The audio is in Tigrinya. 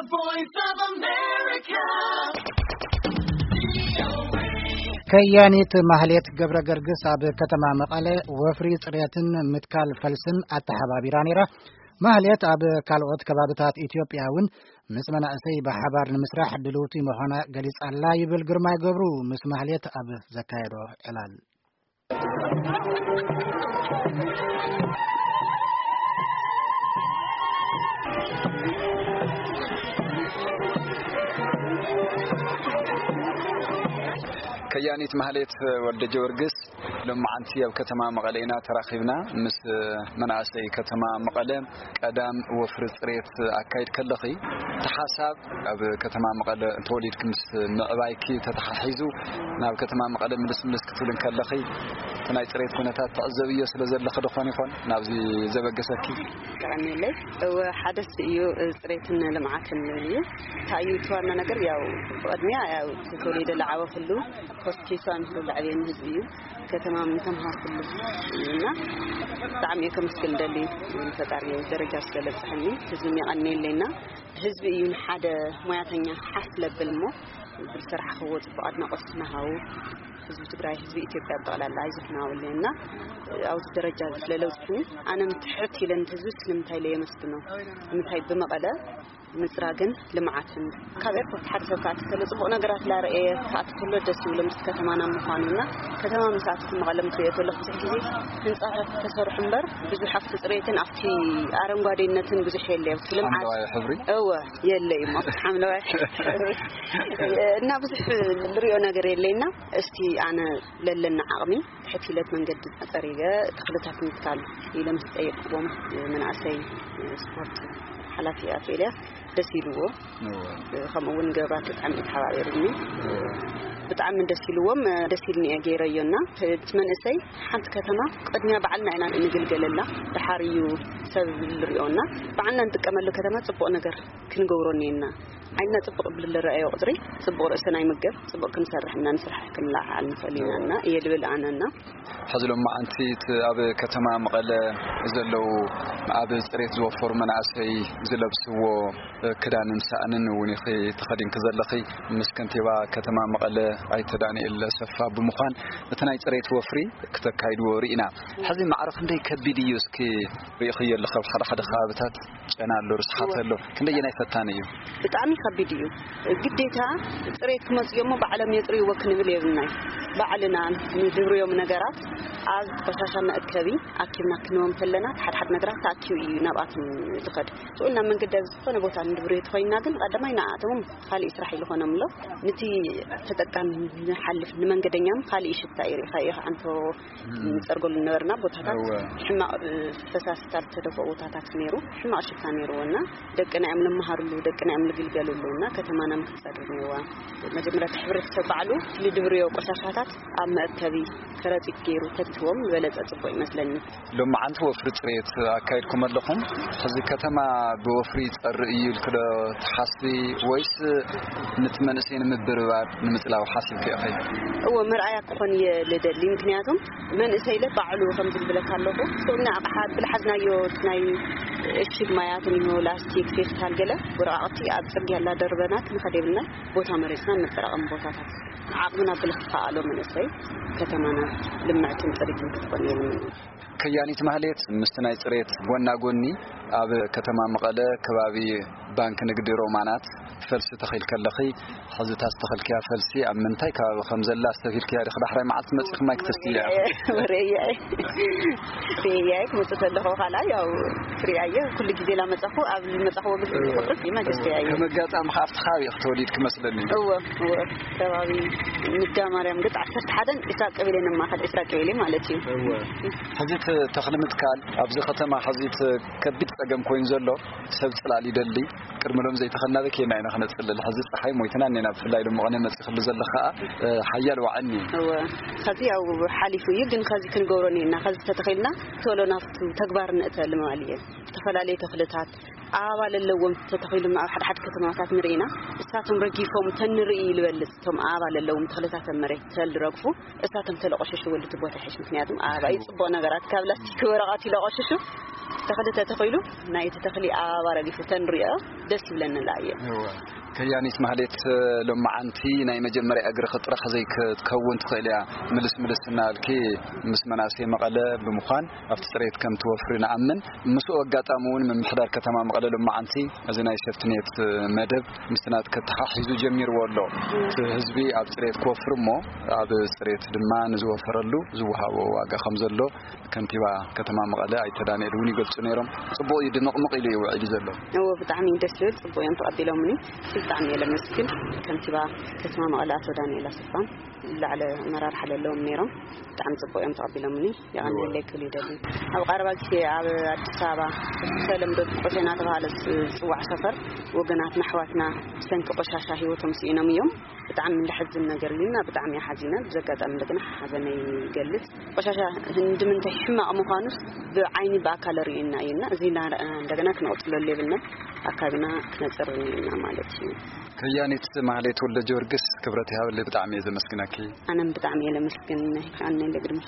Voice of America. ከያኒት ማህሌት ገብረ ገርግስ ኣብ ከተማ መቐለ ወፍሪ ጽሬትን ምትካል ፈልስን ኣተሓባቢራ ነይራ። ማህሌት ኣብ ካልኦት ከባብታት ኢትዮጵያ እውን ምስ መናእሰይ ብሓባር ንምስራሕ ድልውቲ ምዃና ገሊጻ ኣላ ይብል ግርማይ ገብሩ። ምስ ማህሌት ኣብ ዘካየዶ ዕላል። ከያኒት ማህሌት ወልደ ጀወርግስ፣ ሎማዓንቲ ኣብ ከተማ መቐለ ኢና ተራኺብና። ምስ መናእሰይ ከተማ መቐለ ቀዳም ወፍሪ ጽሬት ኣካይድ ከለኺ፣ እቲ ሓሳብ ኣብ ከተማ መቐለ ተወሊድኪ ምስ ምዕባይኪ ተተሓሒዙ ናብ ከተማ መቐለ ምልስ ምልስ ክትብል እንከለኺ፣ እቲ ናይ ጽሬት ኩነታት ትዕዘብዮ ስለ ዘለኺ ዶ ኾን ይኾን ናብዚ ዘበገሰኪ? ቀኒለይ። እወ፣ ሓደስ እዩ፣ ጽሬትን ልምዓትን እዩ። እንታይ እዩ እቲ ዋና ነገር? ያው ብቕድሚያ ያው ተወሊደ ለዓበ ኩሉ ሆስፒታል ንኹሉ ለዕብየኒ ህዝቢ እዩ። ከተማ ምተምሃርኩሉ እዩ እና ብጣዕሚ እየ ከመስግን ደሊ ፈጣሪ ደረጃ ስለለብፅሐኒ ህዝቢ የቐንየለይና። ህዝቢ እዩ ንሓደ ሞያተኛ ሓፍ ለብል እሞ ብዝሰርሓኽዎ ፅቡቕ ኣድናቖት ስናሃው ህዝቢ ትግራይ፣ ህዝቢ ኢትዮጵያ ብጠቕላላ ኣይዞሕናውለና ኣብዚ ደረጃ እዚ ስለለውፅኒ ኣነ ምትሕት ኢለን ህዝቢ ስለምንታይ ኢለ የመስግኖ። ንምንታይ ብመቐለ ምፅራግን ልምዓትን ካብ ኤርፖርት ሓደ ሰብ ክኣቲ ከሎ ፅቡቕ ነገራት ላረኤ ክኣቲ ከሎ ደስ ይብሎ ምስ ከተማና ምዃኑ እና ከተማ ምስ ኣቲ መቐለ ምስ ሪኦ ከሎ ብዙሕ ግዜ ህንፃታት ተሰርሑ እምበር ብዙሕ ኣብቲ ፅሬትን ኣብቲ ኣረንጓዴነትን ብዙሕ የለ ኣብቲ ልምዓት ሓምለዋይ ሕብሪ? እወ የለ እዩ ኣብቲ ሓምለዋይ ሕብሪ እና ብዙሕ ንሪኦ ነገር የለና። እስቲ ኣነ ለለና ዓቕሚ ትሕት ኢለት መንገዲ ፀሪገ ተኽልታት ምትካል ኢለ ምስ ጠየቅዎም መናእሰይ ስፖርት ሓላፊ ኣቶ ኤልያስ ደስ ኢልዎ። እወ። ከምኡ እውን ገባት ብጣዕሚ ተሓባቢሩኒ። እወ። ብጣዕሚ ደስ ኢልዎም፣ ደስ ኢልኒ እየ ገይረዮ እና እቲ መንእሰይ ሓንቲ ከተማ ቅድሚያ ባዕልና ኢና እንግልገለላ፣ ድሓር እዩ ሰብ ዝርኦ እና ባዕልና ንጥቀመሉ ከተማ ፅቡቕ ነገር ክንገብሮ እኒአና። ዓይንና ፅቡቕ ብዝረኣዮ ቁፅሪ ፅቡቕ ርእስና ይምገብ፣ ፅቡቕ ክንሰርሕ እና ንስራሕ ክንለዓዓል ንኽእል ኢና እና እየ ልብል ኣነ እና ሕዚ ሎማዓንቲ እቲ ኣብ ከተማ መቐለ ዘለዉ ኣብ ፅሬት ዝወፈሩ መናእሰይ ዝለብስዎ ክዳንን ሳእንን እውን ኢኺ ተኸዲንኪ ዘለኺ። ምስ ከንቲባ ከተማ መቐለ ኣይተ ዳንኤል ኣሰፋ ብምዃን እቲ ናይ ፅሬት ወፍሪ ክተካይድዎ ርኢና። ሕዚ ማዕረ ክንደይ ከቢድ እዩ እስኪ ርኢኽዮ ኣለኺ? ኣብ ሓደ ሓደ ከባብታት ጨና ኣሎ፣ ርስሓት ኣሎ። ክንደየናይ ፈታኒ እዩ? ብጣዕሚ ከቢድ እዩ። ግዴታ ፅሬት ክመፅእ እሞ ባዕሎም የፅርይዎ ክንብል የብልናይ። ባዕልና ንድብርዮም ነገራት ኣብ ቆሻሻ መእከቢ ኣኪብና ክንዎም ከለና፣ እቲ ሓደ ሓደ ነገራት ተኣኪቡ እዩ ናብኣቶም ዝኸድ። ስኡልና መንገዲ ኣብ ዝኾነ ቦታ ንድብርዮ ተኾይንና ግን ቀዳማይ ንኣቶምም ካሊእ ስራሕ ይልኾኖም ኣሎ። ንቲ ተጠቃሚ ንሓልፍ ንመንገደኛም ካሊእ ሽታ እዩ። ሪኢኻ ኢኻ ኣንቶ ንጸርገሉ ነበርና ቦታታት እወ። ሕማቕ፣ እ፣ ፈሳሲታት ዝተደፍኦ ቦታታት ነይሩ። ሕማቕ ሽታ ነይርዎ እና ደቅና እዮም ንመሃርሉ፣ ደቅና እዮም ንግልገሉሉ እና ከተማና ምክትጸርግ ነይርዋ። መጀመርያ እቲ ሕብረተሰብ ባዕሉ ልድብርዮ ቆሻሻታት ኣብ መእከቢ ከረጢት ገይሩ ተትህቦም ዝበለጸ ጽቡቕ ይመስለኒ። ሎማዓንቲ ወፍሪ ጽሬት ኣካይድኩም ኣለኹም። ሕዚ ከተማ ብወፍሪ ይጸሪ እዩ ኢልክ ዶ ትሓስቢ ወይስ ንቲ መንእሰይ ንምብርባር ንምጽላው ሓሲብክ ኢኺ? እዎ፣ መርኣያ ክኾን እየ ልደሊ። ምክንያቱም መንእሰይ ኢለ ባዕሉ ከምዚ ዝብለካ ኣለኹ። ስኡና ኣቕሓ ብልሓዝናዮ ናይ እሽግ ማያት እኒሆ፣ ላስቲክ፣ ፌስታል፣ ገለ ወረቃቕቲ ኣብ ጽርግያ እናደርበና ክንኸድ የብልና። ቦታ መሬትና ነጠራቐም ቦታታት ዓቕምና ብልኽኣሎ መንእሰይ ከተማና ልምዕትን ጽርግን ክትኾን እየ ልምነ። ከያኒት ማህሌት ምስቲ ናይ ጽሬት ጎና ጎኒ ኣብ ከተማ መቐለ ከባቢ ባንክ ንግዲ ሮማናት ፈልሲ ተኺልኪ ኣለኺ። ሕዚ እታ ዝተኸልክያ ፈልሲ ኣብ ምንታይ ከባቢ ከም ዘላ ኣስተብሂልክያ ዲኺ? ዳሕራይ መዓልቲ መጺኺ ማይ ክትስቲ እያ። ርእያይ፣ ርእያይ ክመጽእ ከለኹ ካልኣይ ያው ትሪኣየ ኩሉ ግዜ ላመጻኹ ኣብ ዝመጻኹዎ ግዜ ቁጥሪ ይመገስ ርእያየ። ከም ኣጋጣሚ ከኣ ኣብቲ ከባቢ ኢኺ ተወሊድኪ መስለኒ። እወ፣ እወ። ከባቢ ንዳ ማርያም ገጽ ዓሰርተ ሓደን ዒስራ ቀበሌ ነማኸል፣ ዒስራ ቀበሌ ማለት እዩ። እወ። ሕዚ እቲ ተኽሊ ምትካል ኣብዚ ከተማ ሕዚ እቲ ከቢድ ጸገም ኮይኑ ዘሎ ሰብ ጽላል ይደሊ። ቅድሚ ሎም ዘይተኸልና በኬና ኢና ክነጽልል። ሕዚ ጸሓይ ሞይትና እኔና፣ ብፍላይ ሎም መቐነ መጺኽሉ ዘለኻ፣ እ፣ ሓያል ዋዕኒ። እወ፣ ኸዚ ያው ሓሊፉ እዩ፣ ግን ኸዚ ክንገብሮ እኒና፣ ኸዚ ተተኺልና ቶሎ ናብቱ ተግባር ንእተሉ ምባል እየ። ዝተፈላለዩ ተኽልታት፣ ኣበባ ለለዎም ተተኺሉ ኣብ ሓደ ሓደ ከተማታት ንርኢ ኢና። እሳቶም ረጊፎም ተንርኢ ይልበልጽ። እቶም ኣበባ ለለዎም ተኽልታት ኣብ መሬት ተልረግፉ፣ እሳቶም ተለቆሸሽ ወልድ ቦታ ይሕሽ። ምክንያቱም ኣበባ እዩ ጽቡቕ ነገራት ካብ ላስቲክ ወረቐት ይለቆሽሹ። ተኽሊ ተተኺሉ ናይቲ ተኽሊ ኣበባ ረጊፉ ተንሪኦ ደስ ይብለኒ። ላየ ከያኒት ማህሌት፣ ሎማዓንቲ ናይ መጀመርያ እግርኺ ጥራሕ ዘይክትከውን ትኽእል እያ። ምልስ ምልስ እናበልኪ ምስ መናእሰይ መቐለ ብምዃን ኣብቲ ፅሬት ከም ትወፍሪ ንኣምን። ምስኡ ኣጋጣሚ እውን ምምሕዳር ከተማ መቐለ ሎማዓንቲ እዚ ናይ ሴፍትኔት መደብ ምስቲ ናትኪ ተሓሒዙ ጀሚርዎ ኣሎ። እቲ ህዝቢ ኣብ ፅሬት ክወፍር እሞ ኣብ ፅሬት ድማ ንዝወፈረሉ ዝወሃቦ ዋጋ ከም ዘሎ ከንቲባ ከተማ መቐለ ኣይተ ዳንኤል እውን ይገልፁ ነይሮም። ፅቡቕ እዩ፣ ድምቕምቕ ኢሉ እዩ ውዒሉ ዘሎ። እዎ፣ ብጣዕሚ እዩ ደስ ዝብል፣ ጽቡቅ እዮም ተቐቢሎምኒ። ብጣዕሚ እየ ለመስግን ከንቲባ ከተማ መቐለ ኣቶ ዳንኤል ኣሰፋን ላዕለ ኣመራርሓ ለለዎም ነይሮም። ብጣዕሚ ጽቡቅ እዮም ተቐቢሎምኒ። የቐንየለይ ክብል ይደሊ። ኣብ ቀረባ ግዜ ኣብ ኣዲስ ኣበባ ተለምዶ ቁሸ እናተባሃለ ዝጽዋዕ ሰፈር ወገናትና ኣሕዋትና ብሰንኪ ቆሻሻ ህይወቶም ስኢኖም እዮም። ብጣዕሚ ለሐዝን ነገር እዩ እና ብጣዕሚ እየ ሓዚነ። ብዚ ኣጋጣሚ እንደገና ሓዘነይ ይገልጽ። ቆሻሻ እንድምንታይ ሕማቕ ምዃኑስ ብዓይኒ ብኣካል ርእዩና እዩ እና እዚ እናረኣና እንደገና ክነቕጽለሉ የብልና። ኣካብና ክነጽር ኢና ማለት እዩ። ከያኒት ማህሌት ወልደ ጊዮርጊስ፣ ክብረት ይሃበለይ፣ ብጣዕሚ እየ ዘመስግነኪ። ኣነም ብጣዕሚ እየ ለመስግን። ኣነ ለግድመ